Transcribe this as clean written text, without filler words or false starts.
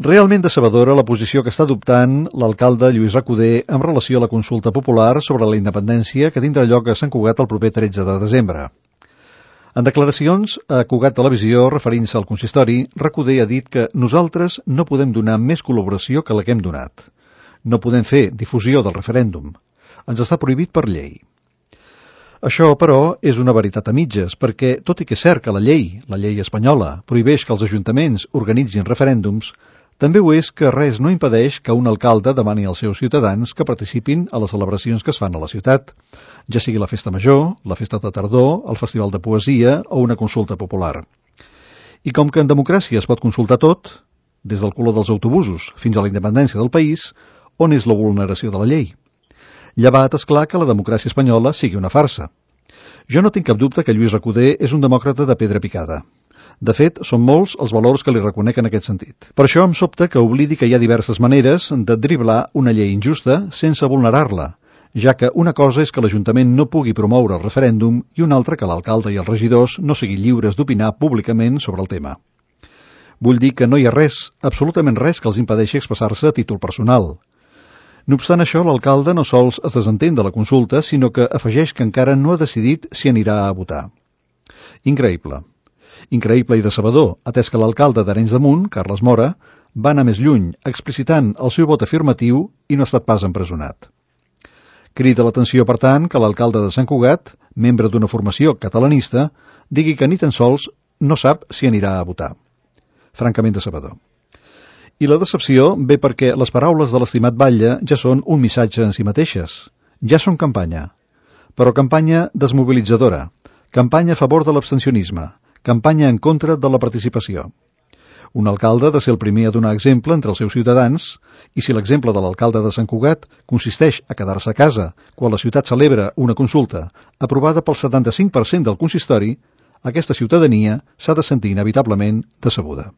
Realment decebedora la posició que està adoptant l'alcalde Lluís Recoder en relació a la consulta popular sobre la independència que tindrà lloc a Sant Cugat el proper 13 de desembre. En declaracions a Cugat Televisió, referint-se al consistori, Recoder ha dit que nosaltres no podem donar més col·laboració que la que hem donat. No podem fer difusió del referèndum. Ens està prohibit per llei. Això, però, és una veritat a mitges, perquè, tot i que és cert que la llei espanyola, prohibeix que els ajuntaments organitzin referèndums, també ho és que res no impedeix que un alcalde demani als seus ciutadans que participin a les celebracions que es fan a la ciutat, ja sigui la festa major, la festa de tardor, el festival de poesia o una consulta popular. I com que en democràcia es pot consultar tot, des del color dels autobusos fins a la independència del país, on és la vulneració de la llei? Llevat, és clar que la democràcia espanyola sigui una farsa. Jo no tinc cap dubte que Lluís Recoder és un demòcrata de pedra picada. De fet, són molts els valors que li reconec en aquest sentit. Per això em sobta que oblidi que hi ha diverses maneres de driblar una llei injusta sense vulnerar-la, ja que una cosa és que l'Ajuntament no pugui promoure el referèndum i una altra que l'alcalde i els regidors no siguin lliures d'opinar públicament sobre el tema. Vull dir que no hi ha res, absolutament res, que els impedeixi expressar-se a títol personal. No obstant això, l'alcalde no sols es desentén de la consulta, sinó que afegeix que encara no ha decidit si anirà a votar. Increïble. Increïble i decebedor, atès que l'alcalde d'Arenys de Munt, Carles Mora, va anar més lluny, explicitant el seu vot afirmatiu i no ha estat pas empresonat. Crida l'atenció, per tant, que l'alcalde de Sant Cugat, membre d'una formació catalanista, digui que ni tan sols no sap si anirà a votar. Francament decebedor. I la decepció ve perquè les paraules de l'estimat batlle ja són un missatge en si mateixes. Ja són campanya. Però campanya desmobilitzadora. Campanya a favor de l'abstencionisme. Campanya en contra de la participació. Un alcalde ha de ser el primer a donar exemple entre els seus ciutadans, i si l'exemple de l'alcalde de Sant Cugat consisteix a quedar-se a casa quan la ciutat celebra una consulta aprovada pel 75% del consistori, aquesta ciutadania s'ha de sentir inevitablement decebuda.